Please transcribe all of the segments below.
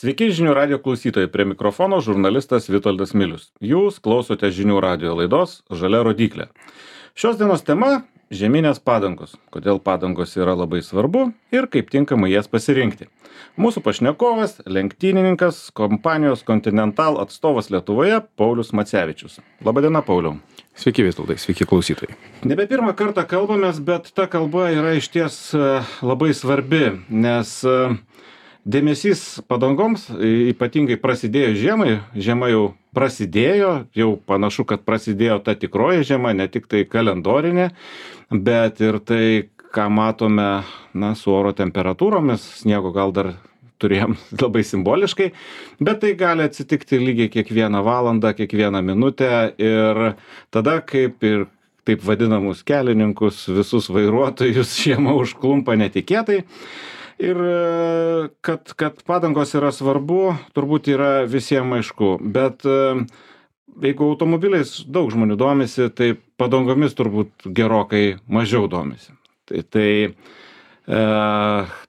Sveiki žinių radio klausytojai, prie mikrofono žurnalistas Vitoldas Milius. Jūs klausote žinių radio laidos Žalia rodyklė. Šios dienos tema - žieminės padangos. Kodėl padangos yra labai svarbu ir kaip tinkamai jas pasirinkti. Mūsų pašnekovas - lenktynininkas, kompanijos Continental atstovas Lietuvoje Paulius Macevičius. Labadiena, Pauliau. Sveiki Vitoldai, sveiki klausytojai. Nebe pirmą kartą kalbamės, bet ta kalba yra išties labai svarbi, nes dėmesys padangoms ypatingai prasidėjo žiemai. Žiema jau prasidėjo, jau panašu, kad prasidėjo ta tikroji žiema, ne tik tai kalendorinė, bet ir tai, ką matome su oro temperatūromis, sniego gal dar turėjom labai simboliškai, bet tai gali atsitikti lygiai kiekvieną valandą, kiekvieną minutę ir tada kaip ir taip vadinamus kelininkus, visus vairuotojus žiema užklumpa netikėtai. Ir kad padangos yra svarbu, turbūt yra visiems aišku, bet jeigu automobiliais daug žmonių domisi, tai padangomis turbūt gerokai mažiau domisi. Tai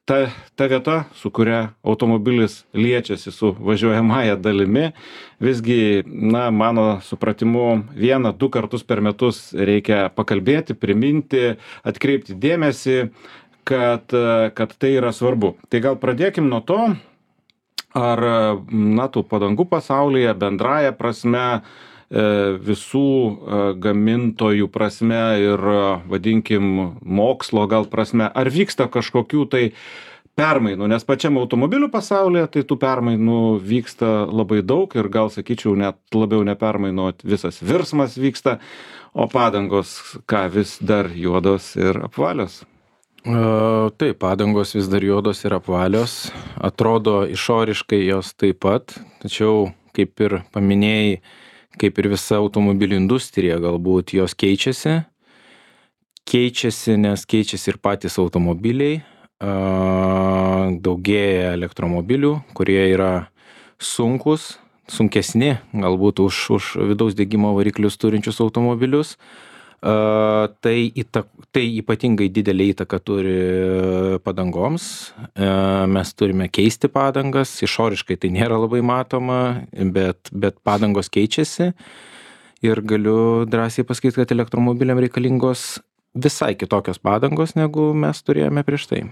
ta vieta, su kuria automobilis liečiasi su važiuojamąja dalimi, visgi, mano supratimu, 1-2 kartus per metus reikia pakalbėti, priminti, atkreipti dėmesį, kad tai yra svarbu. Tai gal pradėkim nuo to, ar tų padangų pasaulyje bendraja prasme, visų gamintojų prasme ir, vadinkim, mokslo gal prasme, ar vyksta kažkokių tai permainų, nes pačiam automobilių pasaulyje tai tų permainų vyksta labai daug ir gal sakyčiau net labiau ne permainų, visas virsmas vyksta, o padangos vis dar juodos ir apvalios. Taip, padangos vis dar juodos ir apvalios, atrodo išoriškai jos taip pat, tačiau, kaip ir paminėjai, kaip ir visa automobilių industrija, galbūt jos keičiasi, nes keičiasi ir patys automobiliai, daugėja elektromobilių, kurie yra sunkesni, galbūt už vidaus degimo variklius turinčius automobilius. Tai ypatingai didelį įtaką turi padangoms. Mes turime keisti padangas, išoriškai tai nėra labai matoma, bet padangos keičiasi ir galiu drąsiai pasakyti, kad elektromobiliam reikalingos visai kitokios padangos, negu mes turėjome prieš tai.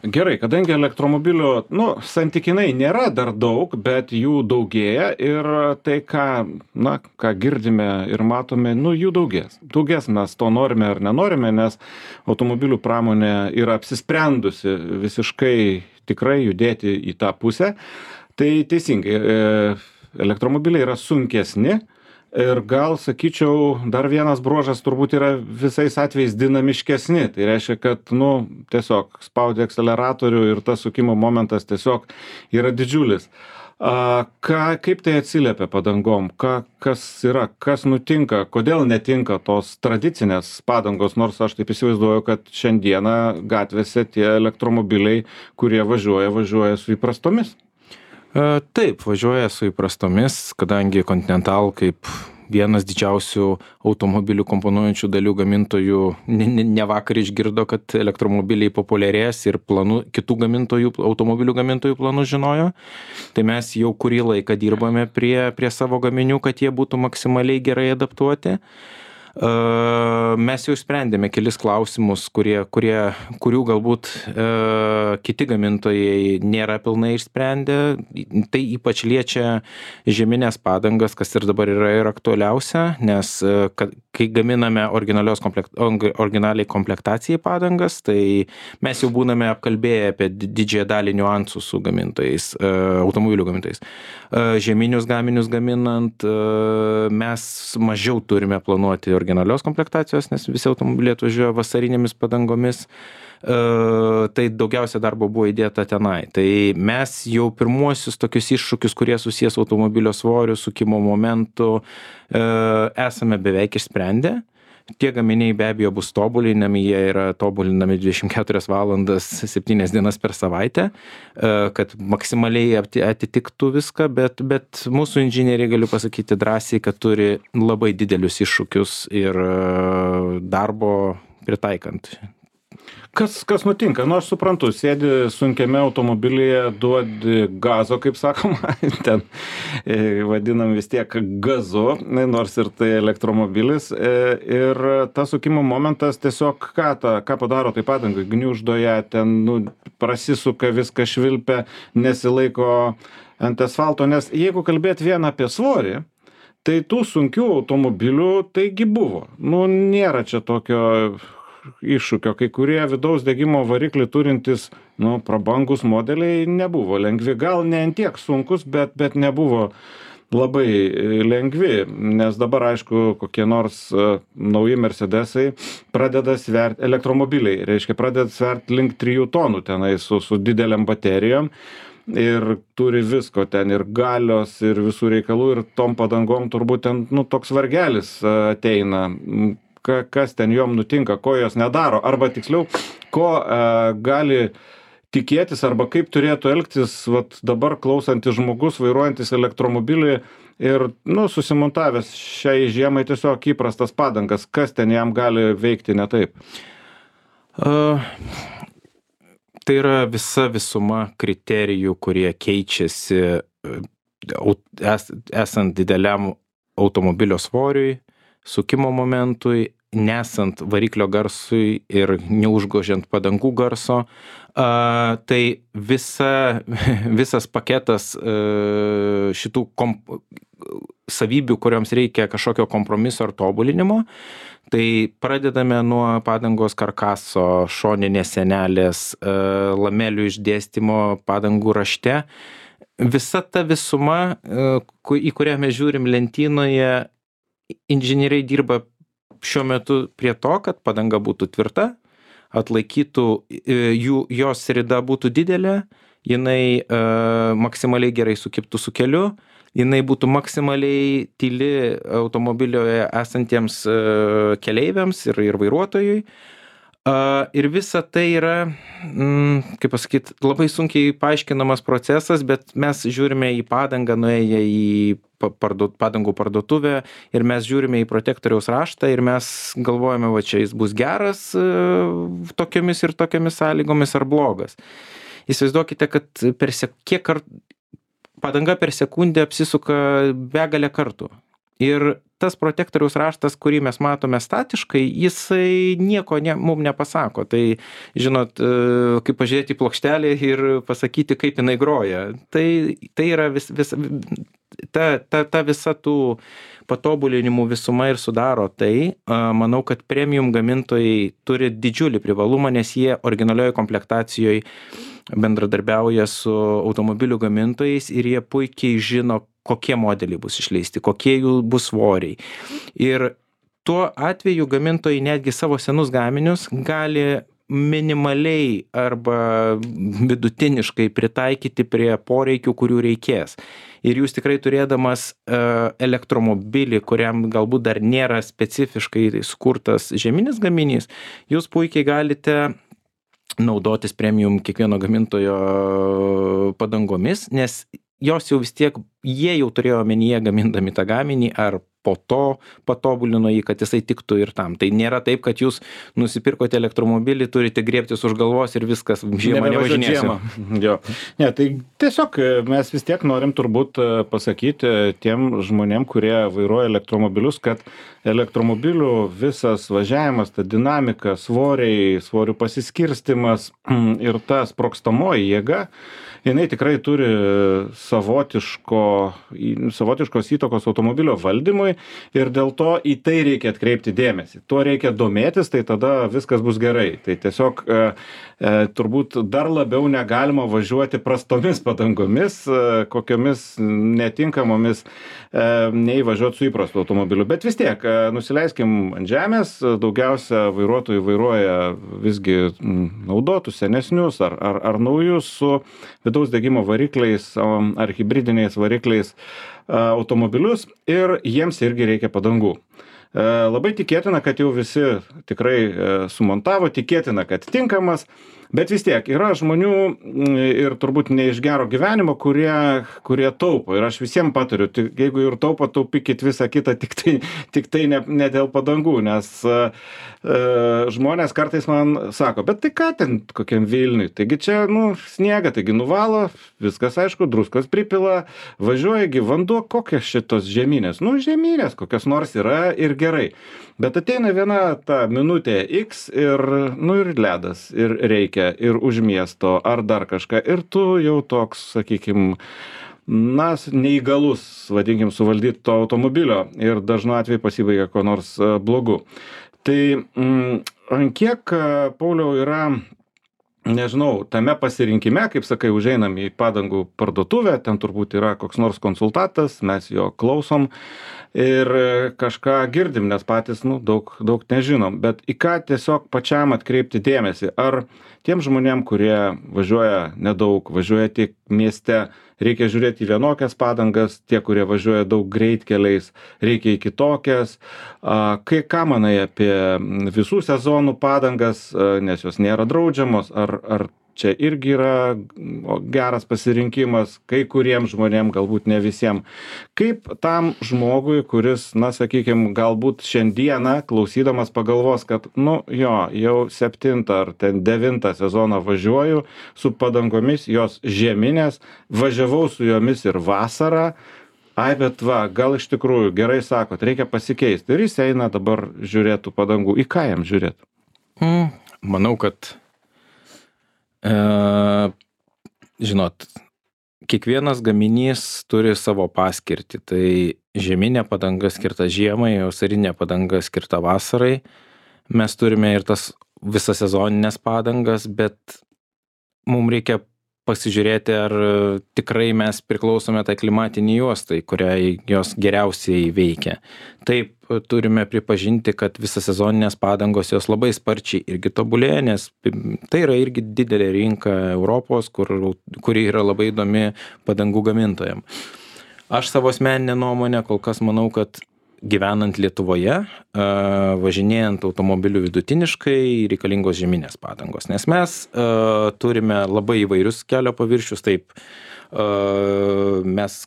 Gerai, kadangi elektromobilių, santykinai nėra dar daug, bet jų daugėja ir tai, ką girdime ir matome, jų daugės. Daugės mes to norime ar nenorime, nes automobilių pramonė yra apsisprendusi visiškai tikrai judėti į tą pusę. Tai teisingai, elektromobiliai yra sunkesni. Ir gal, sakyčiau, dar vienas bruožas turbūt yra visais atvejais dinamiškesni. Tai reiškia, kad, tiesiog spaudi akceleratorių ir tas sukimo momentas tiesiog yra didžiulis. Kaip tai atsiliepia padangom? Kas nutinka? Kodėl netinka tos tradicinės padangos? Nors aš taip įsivaizduoju, kad šiandieną gatvėse tie elektromobiliai, kurie važiuoja su įprastomis. Taip, važiuoja su įprastomis, kadangi Continental kaip vienas didžiausių automobilių komponuojančių dalių gamintojų ne vakar išgirdo, kad elektromobiliai populiarės ir kitų automobilių gamintojų planų žinojo. Tai mes jau kurį laiką dirbame prie savo gaminių, kad jie būtų maksimaliai gerai adaptuoti. Mes jau sprendėme kelis klausimus, kurių galbūt kiti gamintojai nėra pilnai išsprendę. Tai ypač liečia žieminės padangas, kas ir dabar yra ir aktualiausia, nes kai gaminame originaliai komplektacijai padangas, tai mes jau būname apkalbėję apie didžiąją dalį niuansų su gamintojais, automobilių gamintojais. Žieminius gaminius gaminant mes mažiau turime planuoti originalios komplektacijos, nes visi automobiliai atvažiuoja vasarinėmis padangomis. Tai daugiausia darbo buvo įdėta tenai. Tai mes jau pirmuosius tokius iššūkius, kurie susijęs automobilio svoriu, sukimo momentu, esame beveik išsprendę. Tie gaminiai be abejo bus tobulinami, jie yra tobulinami 24 valandas 7 dienas per savaitę, kad maksimaliai atitiktų viską, bet mūsų inžinieriai, galiu pasakyti drąsiai, kad turi labai didelius iššūkius ir darbo pritaikant. Kas nutinka? Nu, aš suprantu, sėdi sunkiame automobilyje, duodi gazo, kaip sakoma, ten vadinam vis tiek gazu, nors ir tai elektromobilis. Ir tas sukimo momentas tiesiog ką padaro, tai padangai gniuždo ją, ten prasisuka, viską švilpia, nesilaiko ant asfalto, nes jeigu kalbėt vien apie svorį, tai tų sunkių automobilių taigi buvo. Nėra čia tokio iššūkio, kai kurie vidaus degimo variklį turintys, prabangus modeliai nebuvo lengvi, gal ne ant tiek sunkus, bet nebuvo labai lengvi, nes dabar, aišku, kokie nors nauji Mercedesai pradeda sverti, elektromobiliai, reiškia, pradeda sverti link 3 tonų tenai su dideliam baterijom ir turi visko ten, ir galios, ir visų reikalų, ir tom padangom turbūt ten, toks vargelis ateina. Kas ten jom nutinka, ko jos nedaro, arba tiksliau, ko gali tikėtis, arba kaip turėtų elgtis dabar klausantis žmogus, vairuojantis elektromobilį ir susimontavęs šiai žiemai tiesiog įprastas padangas, kas ten jam gali veikti ne taip? Tai yra visa visuma kriterijų, kurie keičiasi esant dideliam automobilio svoriui, sukimo momentui, nesant variklio garsui ir neužgožiant padangų garso. Tai visas paketas šitų savybių, kuriams reikia kažkokio kompromiso ar tobulinimo. Tai pradedame nuo padangos karkaso, šoninės sienelės, lamelių išdėstymo padangų rašte. Visa ta visuma, į kurią mes žiūrim lentynoje, inžinieriai dirba šiuo metu prie to, kad padanga būtų tvirta, atlaikytų, jos rida būtų didelė, jinai maksimaliai gerai sukibtų su keliu, jinai būtų maksimaliai tyli automobilioje esantiems keleiviams ir vairuotojui. Ir visa tai yra, kaip pasakyti, labai sunkiai paaiškinamas procesas, bet mes žiūrime į padangą, nuėję į padangų parduotuvę ir mes žiūrime į protektoriaus raštą ir mes galvojame, čia jis bus geras tokiomis ir tokiomis sąlygomis ar blogas. Įsivaizduokite, kad padanga per sekundę apsisuka begalę kartų. Ir tas protektoriaus raštas, kurį mes matome statiškai, jisai nieko mums nepasako. Tai, žinot, kaip pažiūrėti į plokštelę ir pasakyti, kaip jinai groja. Tai yra ta visa tų patobulinimų visuma ir sudaro tai. Manau, kad premium gamintojai turi didžiulį privalumą, nes jie originalioje komplektacijoje bendradarbiauja su automobilių gamintojais ir jie puikiai žino, kokie modeliai bus išleisti, kokie jų bus svoriai. Ir tuo atveju gamintojai netgi savo senus gaminius gali minimaliai arba vidutiniškai pritaikyti prie poreikių, kurių reikės. Ir jūs tikrai turėdamas elektromobilį, kuriam galbūt dar nėra specifiškai skurtas žeminis gaminys, jūs puikiai galite naudotis premium kiekvieno gamintojo padangomis, nes jos jau vis tiek, jie jau turėjo omenyje gamindami tą gaminį, ar po to patobulino jį, kad jisai tiktų ir tam. Tai nėra taip, kad jūs nusipirkote elektromobilį, turite griebtis už galvos ir viskas, žiemą nevažinėsiu. Jo. Ne, tai tiesiog mes vis tiek norim turbūt pasakyti tiem žmonėm, kurie vairuoja elektromobilius, kad elektromobilių visas važiavimas, ta dinamika, svorių pasiskirstimas ir ta sprogstamoji jėga, jinai tikrai turi savotiškos įtakos automobilio valdymui ir dėl to į tai reikia atkreipti dėmesį. Tuo reikia domėtis, tai tada viskas bus gerai. Tai tiesiog turbūt dar labiau negalima važiuoti prastomis padangomis, kokiomis netinkamomis nei važiuoti su įprastu automobiliu. Bet vis tiek, nusileiskim ant žemės, daugiausia vairuotojų vairuoja visgi naudotus, senesnius ar naujus su vidaus degimo varikliais ar hibridiniais varikliais automobilius ir jiems irgi reikia padangų. Labai tikėtina, kad jau visi tikrai sumontavo, tikėtina, kad tinkamas, Bet vis tiek yra žmonių ir turbūt ne iš gero gyvenimo, kurie taupo. Ir aš visiems patariu, jeigu ir taupo, taupykit visą kitą, tik tai ne dėl padangų, nes žmonės kartais man sako, bet tai ką ten kokiam Vilniui, taigi čia, sniega, taigi nuvalo, viskas aišku, druskos pripila, važiuojagi vanduo, kokios šitos žemynės, žemynės, kokios nors yra ir gerai. Bet ateina viena ta minutė X ir ledas, ir reikia, ir už miesto, ar dar kažką, ir tu jau toks, sakykim, neįgalus, vadinkim, suvaldyti to automobilio ir dažnu atveju pasibaigia ko nors blogu. Tai ant kiek, Pauliau, yra, nežinau, tame pasirinkime, kaip sakai, užeinam į padangų parduotuvę, ten turbūt yra koks nors konsultantas, mes jo klausom ir kažką girdim, nes patys, daug nežinom, bet į ką tiesiog pačiam atkreipti dėmesį, ar tiem žmonėm, kurie važiuoja nedaug, važiuoja tik mieste, reikia žiūrėti į vienokias padangas, tie, kurie važiuoja daug greitkeliais, reikia į kitokias. Ką manai apie visų sezonų padangas, nes jos nėra draudžiamos, ar čia irgi yra geras pasirinkimas kai kuriems žmonėm, galbūt ne visiems. Kaip tam žmogui, kuris, sakykime, galbūt šiandieną klausydamas pagalvos, kad, jau 7 ar ten 9 sezoną važiuoju su padangomis, jos žieminės, važiavau su jomis ir vasarą, bet gal iš tikrųjų gerai sakot, reikia pasikeisti. Ir jis eina dabar žiūrėtų padangų. Į ką jam žiūrėtų? Manau, kad žinot, kiekvienas gaminys turi savo paskirtį. Tai žieminė padanga skirta žiemai, vasarinė padanga skirta vasarai. Mes turime ir tas visas sezoninės padangas, bet mums reikia pasižiūrėti, ar tikrai mes priklausome tai klimatiniai juostai, kuriai jos geriausiai veikia. Taip, turime pripažinti, kad visas sezoninės padangos jos labai sparčiai irgi tobulėja, nes tai yra irgi didelė rinka Europos, kuri yra labai įdomi padangų gamintojam. Aš savo asmeninę nuomonę kol kas manau, kad gyvenant Lietuvoje, važinėjant automobiliu vidutiniškai, reikalingos žieminės padangos, nes mes turime labai įvairius kelio paviršius, taip mes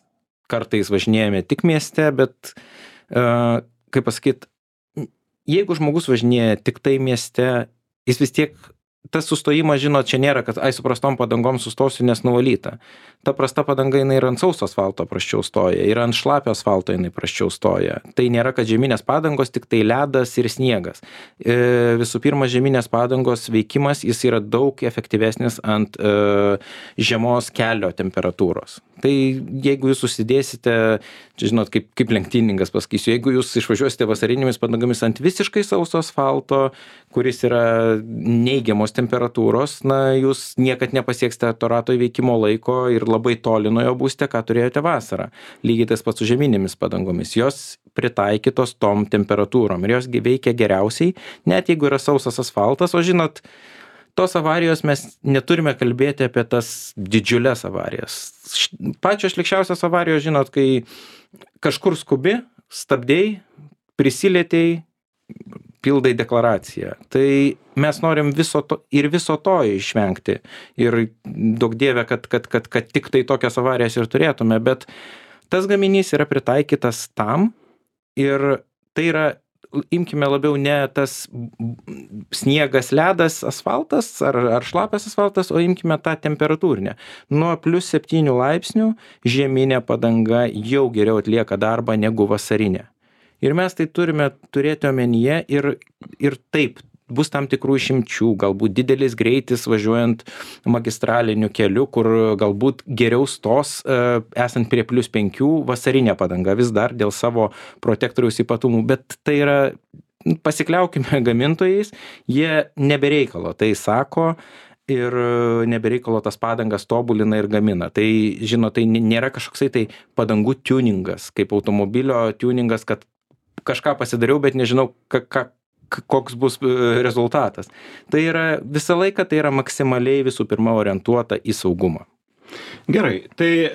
kartais važinėjame tik mieste, bet, kaip pasakyt, jeigu žmogus važinėja tik tai mieste, jis vis tiek, tas sustojimas, žinot, čia nėra, kad su prastom padangom sustosiu, nes nuvalyta. Ta prasta padanga, jinai ir ant sauso asfalto prasčiau stoja, ir ant šlapio asfalto jinai prasčiau stoja. Tai nėra, kad žieminės padangos, tik tai ledas ir sniegas. Visų pirma, žieminės padangos veikimas, jis yra daug efektyvesnis ant žemos kelio temperatūros. Tai jeigu jūs susidėsite, čia žinot, kaip lenktyningas pasakysiu, jeigu jūs išvažiuosite vasarinėmis padangomis ant visiškai sauso asfalto, kuris yra neigiamos temperatūros, jūs niekad nepasieksite to rato įveikimo laiko ir labai toli nuo jo būsite, ką turėjote vasarą. Lygiai tas pats su žieminėmis padangomis. Jos pritaikytos tom temperatūrom ir jos veikia geriausiai, net jeigu yra sausas asfaltas, o žinot, tos avarijos mes neturime kalbėti apie tas didžiulės avarijas. Pačios šlikščiausios avarijos, žinot, kai kažkur skubi, stabdėjai, prisilietėjai, pildai deklaraciją. Tai mes norim viso to išvengti. Ir daug dievė, kad tik tai tokias avarijas ir turėtume, bet tas gaminys yra pritaikytas tam ir tai yra, imkime labiau ne tas sniegas, ledas, asfaltas ar šlapias asfaltas, o imkime tą temperatūrinę. Nuo +7 laipsnių žieminė padanga jau geriau atlieka darbą negu vasarinė. Ir mes tai turime turėti omenyje ir taip, bus tam tikrų išimčių, galbūt didelis greitis važiuojant magistraliniu keliu, kur galbūt geriau stos esant prie +5 vasarinė padanga vis dar dėl savo protektoriaus ypatumų, bet tai yra, pasikliaukime gamintojais, jie nebereikalo tai sako ir nebereikalo tas padangas tobulina ir gamina. Tai, žinot, tai nėra kažkoksai tai padangų tuningas, kaip automobilio tuningas, kad kažką pasidariau, bet nežinau, koks bus rezultatas. Tai yra visą laiką, tai yra maksimaliai visų pirma orientuota į saugumą. Gerai, tai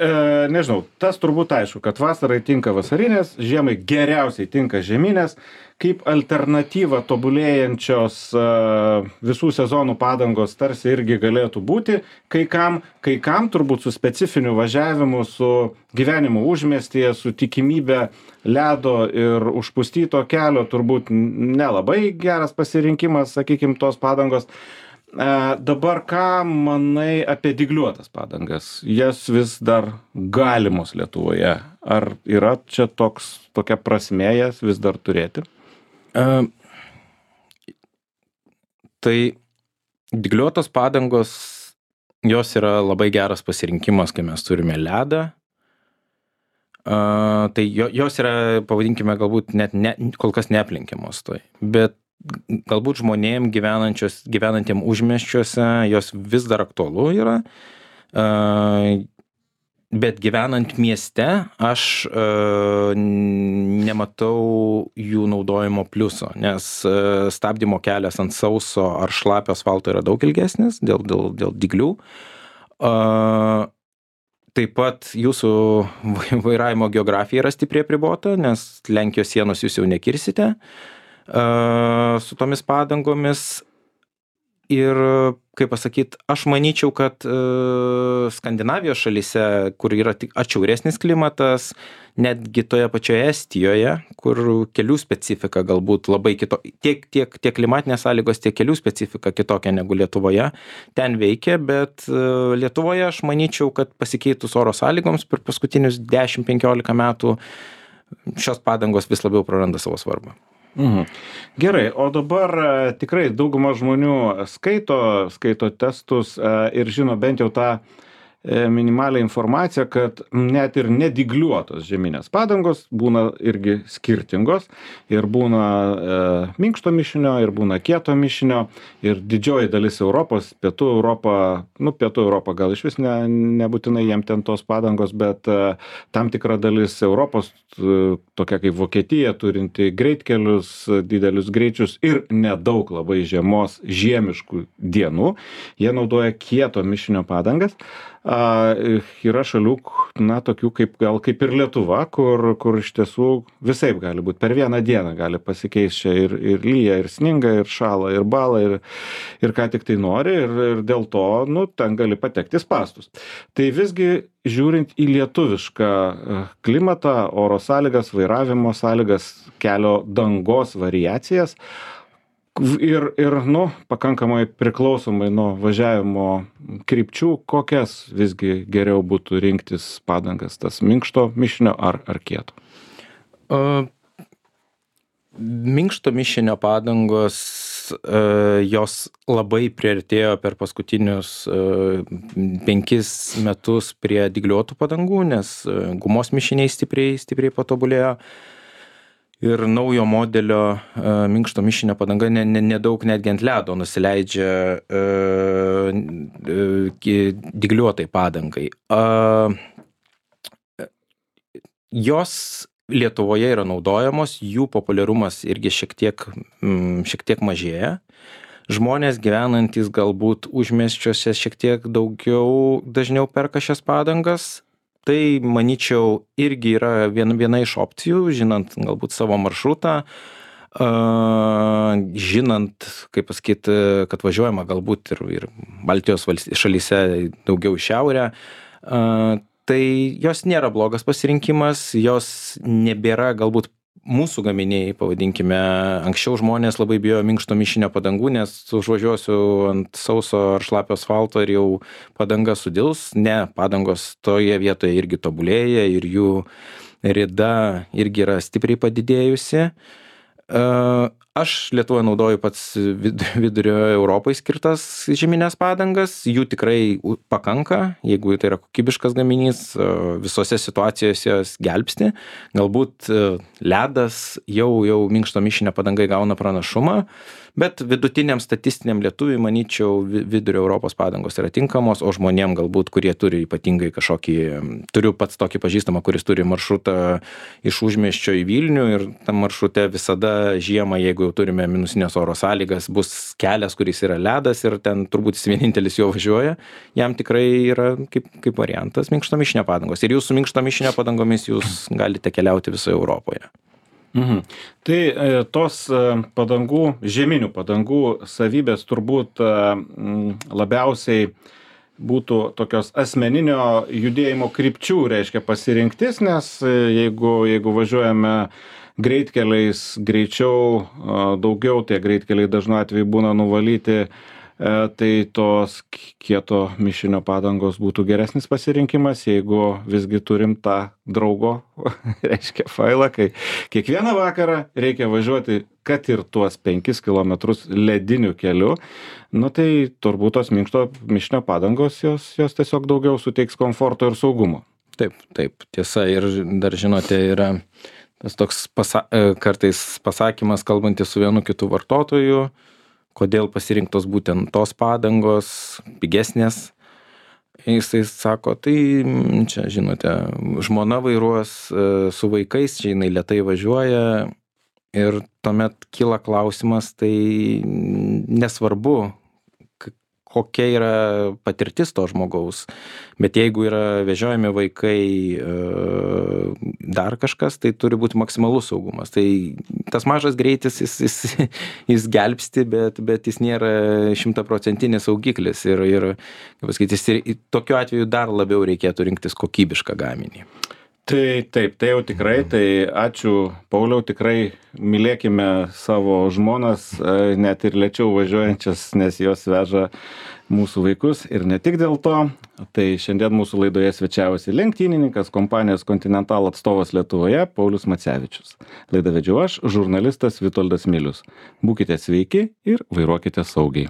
nežinau, tas turbūt aišku, kad vasarai tinka vasarinės, žiemai geriausiai tinka žieminės, kaip alternatyva tobulėjančios visų sezonų padangos tarsi irgi galėtų būti, kai kam turbūt su specifiniu važiavimu, su gyvenimu užmiestyje, su tikimybė ledo ir užpustyto kelio turbūt nelabai geras pasirinkimas, sakykim, tos padangos. Dabar ką manai apie dygliuotas padangas? Jas vis dar galimos Lietuvoje. Ar yra čia tokia prasmė jas vis dar turėti? Tai dygliuotos padangos, jos yra labai geras pasirinkimas, kai mes turime ledą. Tai jos yra, pavadinkime, galbūt net kol kas neaplenkiamos tai. Bet galbūt žmonėm gyvenantiem užmiesčiuose jos vis dar aktualu yra, bet gyvenant mieste aš nematau jų naudojimo pliuso, nes stabdymo kelias ant sauso ar šlapio asfalto yra daug ilgesnis dėl dyglių. Taip pat jūsų vairavimo geografija yra stipriai apribota, nes Lenkijos sienos jūs jau nekirsite su tomis padangomis. Ir, kaip pasakyt, aš manyčiau, kad Skandinavijos šalyse, kur yra tik atšiauresnis klimatas, netgi toje pačioje Estijoje, kur kelių specifika galbūt labai tiek klimatinės sąlygos, tiek kelių specifika kitokia negu Lietuvoje, ten veikia, bet Lietuvoje aš manyčiau, kad pasikeitus oro sąlygoms per paskutinius 10-15 metų šios padangos vis labiau praranda savo svarbą. Gerai, o dabar tikrai dauguma žmonių skaito testus ir žino bent jau tą minimalią informaciją, kad net ir nedygliuotos žieminės padangos būna irgi skirtingos ir būna minkšto mišinio ir būna kieto mišinio ir didžioji dalis Europos, pietų Europa gal iš vis nebūtinai jiem ten tos padangos, bet tam tikra dalis Europos, tokia kaip Vokietija, turinti greitkelius, didelius greičius ir nedaug labai žiemiškų dienų, jie naudoja kieto mišinio padangas. Yra šalių, tokių kaip ir Lietuva, kur iš tiesų visaip gali būti. Per vieną dieną gali pasikeisti čia ir lyja, ir sninga, ir šala, ir bala, ir ką tik tai nori, ir dėl to, ten gali patekti spąstus. Tai visgi, žiūrint į lietuvišką klimatą, oro sąlygas, vairavimo sąlygas, kelio dangos variacijas, ir pakankamai priklausomai nuo važiavimo krypčių, kokias visgi geriau būtų rinktis padangas, tas minkšto mišinio ar kieto? Minkšto mišinio padangos, jos labai priartėjo per paskutinius 5 metus prie dygliuotų padangų, nes gumos mišiniai stipriai patobulėjo. Ir naujo modelio minkšto mišinio padanga nedaug netgi ant ledo nusileidžia dygliuotai padangai. Jos Lietuvoje yra naudojamos, jų populiarumas irgi šiek tiek mažėja. Žmonės gyvenantys galbūt užmiesčiuose šiek tiek dažniau perka šias padangas. Tai, manyčiau, irgi yra viena iš opcijų, žinant galbūt savo maršrutą, žinant, kaip pasakyti, kad važiuojama galbūt ir Baltijos šalyse daugiau į šiaurę. Tai jos nėra blogas pasirinkimas, jos nebėra galbūt mūsų gaminiai, pavadinkime, anksčiau žmonės labai bijojo minkšto mišinio padangų, nes užvažiuosiu ant sauso ar šlapio asfalto ir jau padanga sudils. Ne, padangos toje vietoje irgi tobulėja ir jų rida irgi yra stipriai padidėjusi. Aš Lietuvoje naudoju pats vidurio Europai skirtas žieminės padangas, jų tikrai pakanka, jeigu tai yra kokybiškas gaminys, visose situacijose jos gelbsti. Galbūt ledas jau minkšto mišinio padangai gauna pranašumą, bet vidutiniam statistiniam lietuviui, manyčiau, vidurio Europos padangos yra tinkamos, o žmonėm galbūt, kurie turi ypatingai turiu pats tokį pažįstamą, kuris turi maršrutą iš užmiesčio į Vilnių ir tam maršrute visada žiemą, jeigu jau turime minusinės oro sąlygas, bus kelias, kuris yra ledas ir ten turbūt jis vienintelis jo važiuoja, jam tikrai yra kaip variantas minkštomišinio padangos. Ir jūs su minkštomišinio padangomis jūs galite keliauti visoje Europoje. Tai tos padangų, žieminių padangų savybės turbūt labiausiai būtų tokios asmeninio judėjimo krypčių, reiškia pasirinktis, nes jeigu važiuojame greitkeliais greičiau, daugiau, tie greitkeliai dažnu atveju būna nuvalyti, tai tos kieto mišinio padangos būtų geresnis pasirinkimas, jeigu visgi turim tą draugo, reiškia, failą, kai kiekvieną vakarą reikia važiuoti, kad ir tuos 5 kilometrus lediniu keliu, nu tai turbūt tos minkšto mišinio padangos jos tiesiog daugiau suteiks komforto ir saugumo. Taip, tiesa, ir dar žinote, yra tas toks kartais pasakymas, kalbantis su vienu kitu vartotoju, kodėl pasirinktos būtent tos padangos, pigesnės. Jisai sako, tai čia, žinote, žmona vairuos su vaikais, čia jinai lėtai važiuoja ir tuomet kyla klausimas, tai nesvarbu, kokia yra patirtis to žmogaus, bet jeigu yra vežiojami vaikai, dar kažkas, tai turi būti maksimalus saugumas. Tai tas mažas greitis, jis gelbsti, bet jis nėra 100% saugiklis ir kaip pasakyti, tokiu atveju dar labiau reikėtų rinktis kokybišką gaminį. Tai taip, tai jau tikrai, tai ačiū Pauliau, tikrai mylėkime savo žmonas, net ir lėčiau važiuojančias, nes jos veža mūsų vaikus ir ne tik dėl to. Tai šiandien mūsų laidoje svečiavosi lenktynininkas, kompanijos Continental atstovas Lietuvoje, Paulius Macevičius. Laidą vedžiau aš, žurnalistas Vitoldas Milius. Būkite sveiki ir vairuokite saugiai.